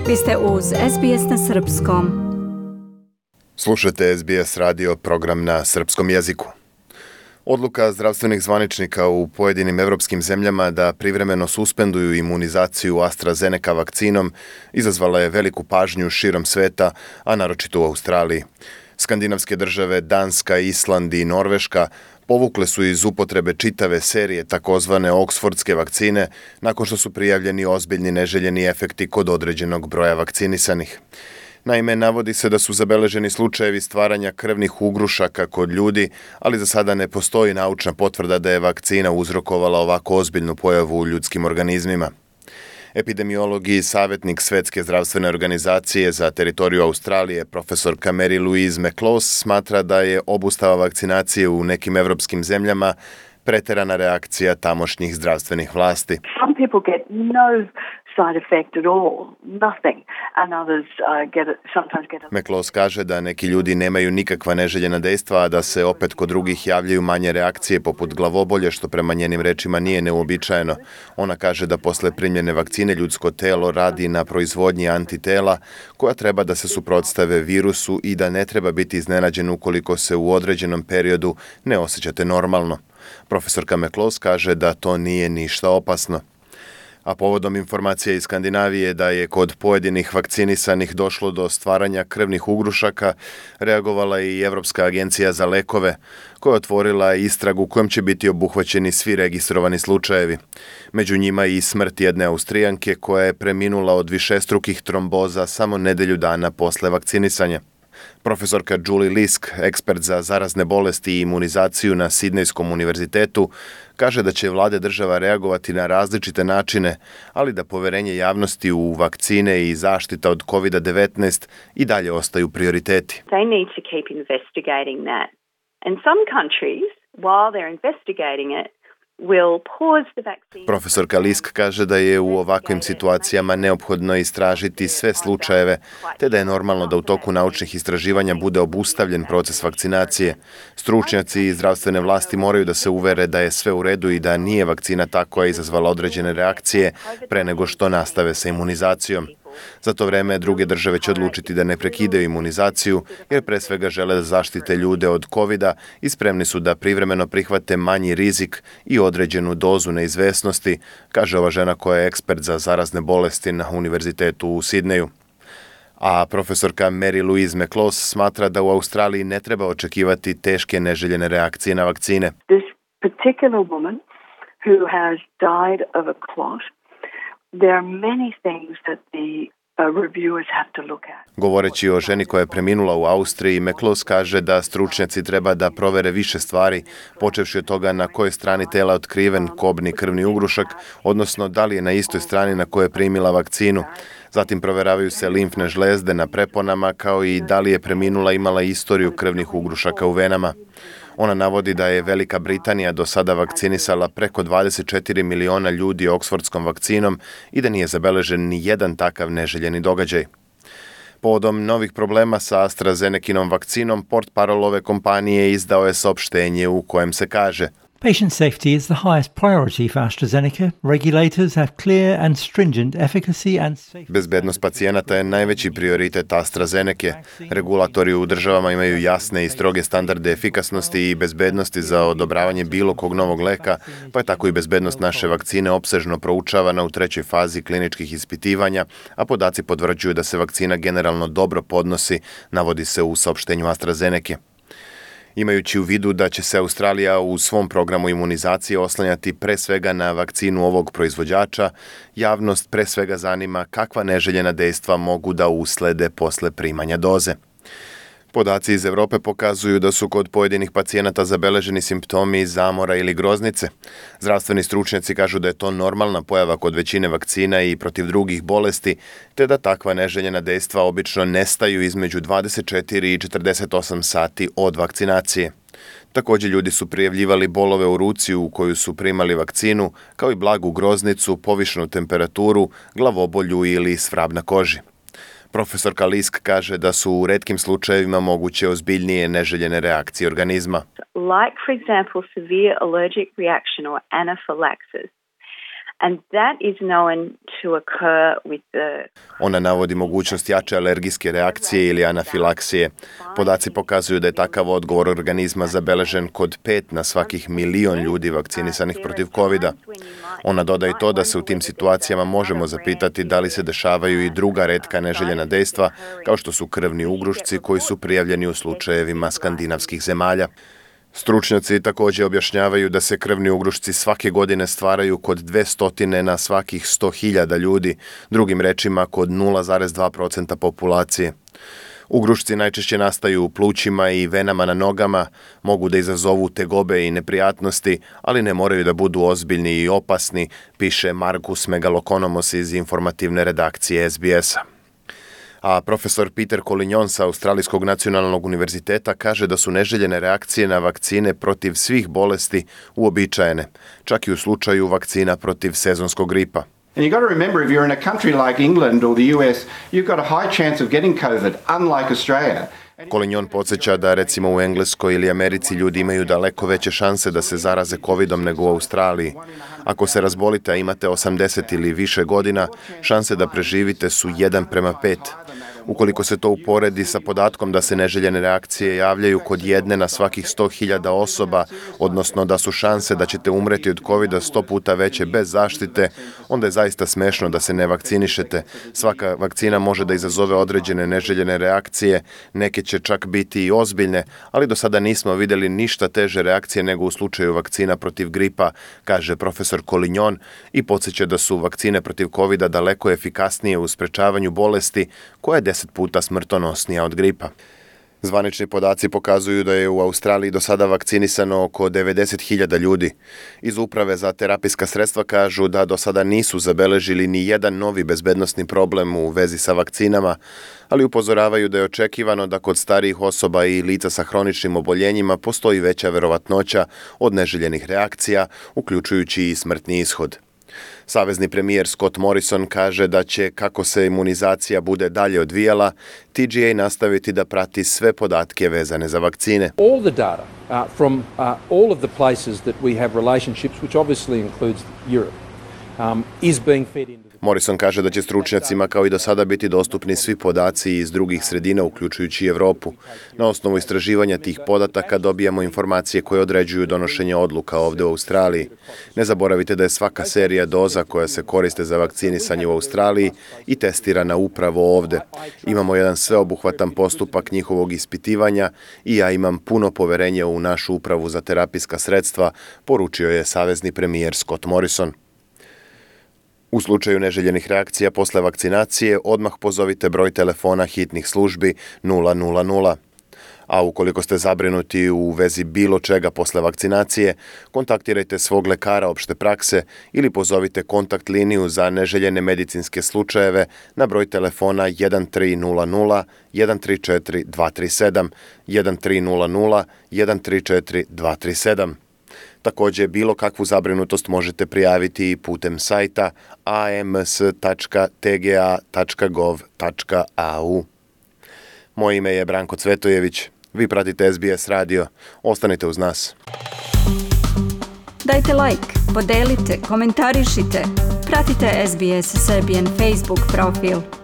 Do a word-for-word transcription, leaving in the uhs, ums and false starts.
Vi ste uz S B S na srpskom. Slušate S B S radio, program na srpskom jeziku. Odluka zdravstvenih zvaničnika u pojedinim evropskim zemljama da privremeno suspenduju imunizaciju AstraZeneca vakcinom izazvala je veliku pažnju širom sveta, a naročito u Australiji. Skandinavske države Danska, Island i Norveška povukle su iz upotrebe čitave serije takozvane oksfordske vakcine nakon što su prijavljeni ozbiljni neželjeni efekti kod određenog broja vakcinisanih. Naime, navodi se da su zabeleženi slučajevi stvaranja krvnih ugrušaka kod ljudi, ali za sada ne postoji naučna potvrda da je vakcina uzrokovala ovako ozbiljnu pojavu u ljudskim organizmima. Epidemiolog i savjetnik Svetske zdravstvene organizacije za teritoriju Australije, profesorka Mary Louise McLaws, smatra da je obustava vakcinacije u nekim evropskim zemljama preterana reakcija tamošnjih zdravstvenih vlasti. Some people get no side effect at all, nothing, and others uh, get it, sometimes get it. McLaws kaže da neki ljudi nemaju nikakva neželjena dejstva, a da se opet kod drugih javljaju manje reakcije poput glavobolje, što prema njenim rečima nije neuobičajeno. Ona kaže da posle primljene vakcine ljudsko telo radi na proizvodnji antitela koja treba da se suprotstave virusu i da ne treba biti iznenađen ukoliko se u određenom periodu ne osjećate normalno. Profesorka McLaws kaže da to nije ništa opasno. A povodom informacija iz Skandinavije da je kod pojedinih vakcinisanih došlo do stvaranja krvnih ugrušaka, reagovala i Evropska agencija za lekove, koja je otvorila istragu kojom će biti obuhvaćeni svi registrovani slučajevi. Među njima i smrt jedne Austrijanke koja je preminula od višestrukih tromboza samo nedelju dana posle vakcinisanja. Profesorka Julie Lisk, ekspert za zarazne bolesti i imunizaciju na Sidnejskom univerzitetu, kaže da će vlade država reagovati na različite načine, ali da poverenje javnosti u vakcine i zaštita od kovid devetnaest i dalje ostaju prioriteti. They need to keep investigating that. And some countries, while they're investigating it, will pause the vaccine. Profesorka Lisk kaže da je u ovakvim situacijama neophodno istražiti sve slučajeve, te da je normalno da u toku naučnih istraživanja bude obustavljen proces vakcinacije. Stručnjaci i zdravstvene vlasti moraju da se uvere da je sve u redu i da nije vakcina ta koja je izazvala određene reakcije pre nego što nastave sa imunizacijom. Za to vreme druge države će odlučiti da ne prekidaju imunizaciju, jer pre svega žele da zaštite ljude od kovida i spremni su da privremeno prihvate manji rizik i određenu dozu neizvesnosti, kaže ova žena koja je ekspert za zarazne bolesti na univerzitetu u Sidneju. A profesorka Mary Louise McLaws smatra da u Australiji ne treba očekivati teške neželjene reakcije na vakcine. This particular woman who has died of a clot, there are many things that the uh, reviewers have to look at. Govoreći o ženi koja je preminula u Austriji, McLaws kaže da stručnjaci treba da provere više stvari, počevši od toga na kojoj strani tela je otkriven kobni krvni ugrušak, odnosno da li je na istoj strani na kojoj je primila vakcinu. Zatim proveravaju se limfne žlezde na preponama, kao i da li je preminula imala istoriju krvnih ugrušaka u venama. Ona navodi da je Velika Britanija do sada vakcinisala preko dvadeset četiri miliona ljudi oksfordskom vakcinom i da nije zabeležen ni jedan takav neželjeni događaj. Povodom novih problema sa AstraZenekinom vakcinom, portparol ove kompanije izdao je saopštenje u kojem se kaže: Patient safety is the highest priority for AstraZeneca. Regulators have clear and stringent efficacy and safety. Bezbednost pacijenata je najveći prioritet AstraZeneke. Regulatori u državama imaju jasne i stroge standarde efikasnosti i bezbednosti za odobravanje bilo kog novog leka, pa je tako i bezbednost naše vakcine opsežno proučavana u trećoj fazi kliničkih ispitivanja, a podaci potvrđuju da se vakcina generalno dobro podnosi, navodi se u saopštenju AstraZeneke. Imajući u vidu da će se Australija u svom programu imunizacije oslanjati pre svega na vakcinu ovog proizvođača, javnost pre svega zanima kakva neželjena dejstva mogu da uslede posle primanja doze. Podaci iz Evrope pokazuju da su kod pojedinih pacijenata zabeleženi simptomi zamora ili groznice. Zdravstveni stručnjaci kažu da je to normalna pojava kod većine vakcina i protiv drugih bolesti, te da takva neželjena dejstva obično nestaju između dvadeset četiri i četrdeset osam sati od vakcinacije. Također ljudi su prijavljivali bolove u ruci u koju su primali vakcinu, kao i blagu groznicu, povišenu temperaturu, glavobolju ili svrab na koži. Profesorka Lisk kaže da su u retkim slučajevima moguće ozbiljnije neželjene reakcije organizma. Like, for example, severe allergic reaction or anaphylaxis. And that is known to occur with the... Ona navodi mogućnost jače alergijske reakcije ili anafilaksije. Podaci pokazuju da je takav odgovor organizma zabeležen kod pet na svakih milion ljudi vakcinisanih protiv kovida. Ona dodaje to da se u tim situacijama možemo zapitati da li se dešavaju i druga retka neželjena dejstva, kao što su krvni ugrušci koji su prijavljeni u slučajevima skandinavskih zemalja. Stručnjaci također objašnjavaju da se krvni ugrušci svake godine stvaraju kod dvesta na svakih sto hiljada ljudi, drugim rečima kod nula zarez dva procenta populacije. Ugrušci najčešće nastaju u plućima i venama na nogama, mogu da izazovu tegobe i neprijatnosti, ali ne moraju da budu ozbiljni i opasni, piše Markus Megalokonomos iz informativne redakcije es be es-a. A profesor Peter Collignon sa Australijskog nacionalnog univerziteta kaže da su neželjene reakcije na vakcine protiv svih bolesti uobičajene, čak i u slučaju vakcina protiv sezonskog gripa. And you've got to remember, if you're in a country like England or the U S, you've got a high chance of getting COVID, unlike Australia. Collignon podsjeća da recimo u Engleskoj ili Americi ljudi imaju daleko veće šanse da se zaraze covidom nego u Australiji. Ako se razbolite, a imate osamdeset ili više godina, šanse da preživite su jedan prema pet. Ukoliko se to uporedi sa podatkom da se neželjene reakcije javljaju kod jedne na svakih sto hiljada osoba, odnosno da su šanse da ćete umreti od covida sto puta veće bez zaštite, onda je zaista smešno da se ne vakcinišete. Svaka vakcina može da izazove određene neželjene reakcije, neke će čak biti i ozbiljne, ali do sada nismo vidjeli ništa teže reakcije nego u slučaju vakcina protiv gripa, kaže profesor Collignon i podsjeća da su vakcine protiv covida daleko efikasnije u sprečavanju bolesti koja je deset puta smrtonosnija od gripa. Zvanični podaci pokazuju da je u Australiji do sada vakcinisano oko devedeset hiljada ljudi. Iz Uprave za terapijska sredstva kažu da do sada nisu zabeležili ni jedan novi bezbednosni problem u vezi sa vakcinama, ali upozoravaju da je očekivano da kod starijih osoba i lica sa hroničnim oboljenjima postoji veća verovatnoća od neželjenih reakcija, uključujući i smrtni ishod. Savezni premijer Scott Morrison kaže da će, kako se imunizacija bude dalje odvijala, T G A nastaviti da prati sve podatke vezane za vakcine. All the data uh, from uh, all of the places that we have relationships, which obviously includes Europe, um, is being fed into... Morrison kaže da će stručnjacima kao i do sada biti dostupni svi podaci iz drugih sredina, uključujući Evropu. Na osnovu istraživanja tih podataka dobijamo informacije koje određuju donošenje odluka ovdje u Australiji. Ne zaboravite da je svaka serija doza koja se koriste za vakcinisanje u Australiji i testirana upravo ovdje. Imamo jedan sveobuhvatan postupak njihovog ispitivanja i ja imam puno poverenja u našu upravu za terapijska sredstva, poručio je savezni premijer Scott Morrison. U slučaju neželjenih reakcija posle vakcinacije odmah pozovite broj telefona hitnih službi nula nula nula. A ukoliko ste zabrinuti u vezi bilo čega posle vakcinacije, kontaktirajte svog lekara opšte prakse ili pozovite kontakt liniju za neželjene medicinske slučajeve na broj telefona jedan tri nula nula jedan tri četiri dva tri sedam, jedan tri nula nula jedan tri četiri dva tri sedam. Također, bilo kakvu zabrinutost možete prijaviti i putem sajta a m s tačka t g a tačka gov tačka a u. Moje ime je Branko Cvetojević. Vi pratite es be es radio. Ostanite uz nas. Dajte like, podelite, komentarišite. Pratite S B S Serbian Facebook profil.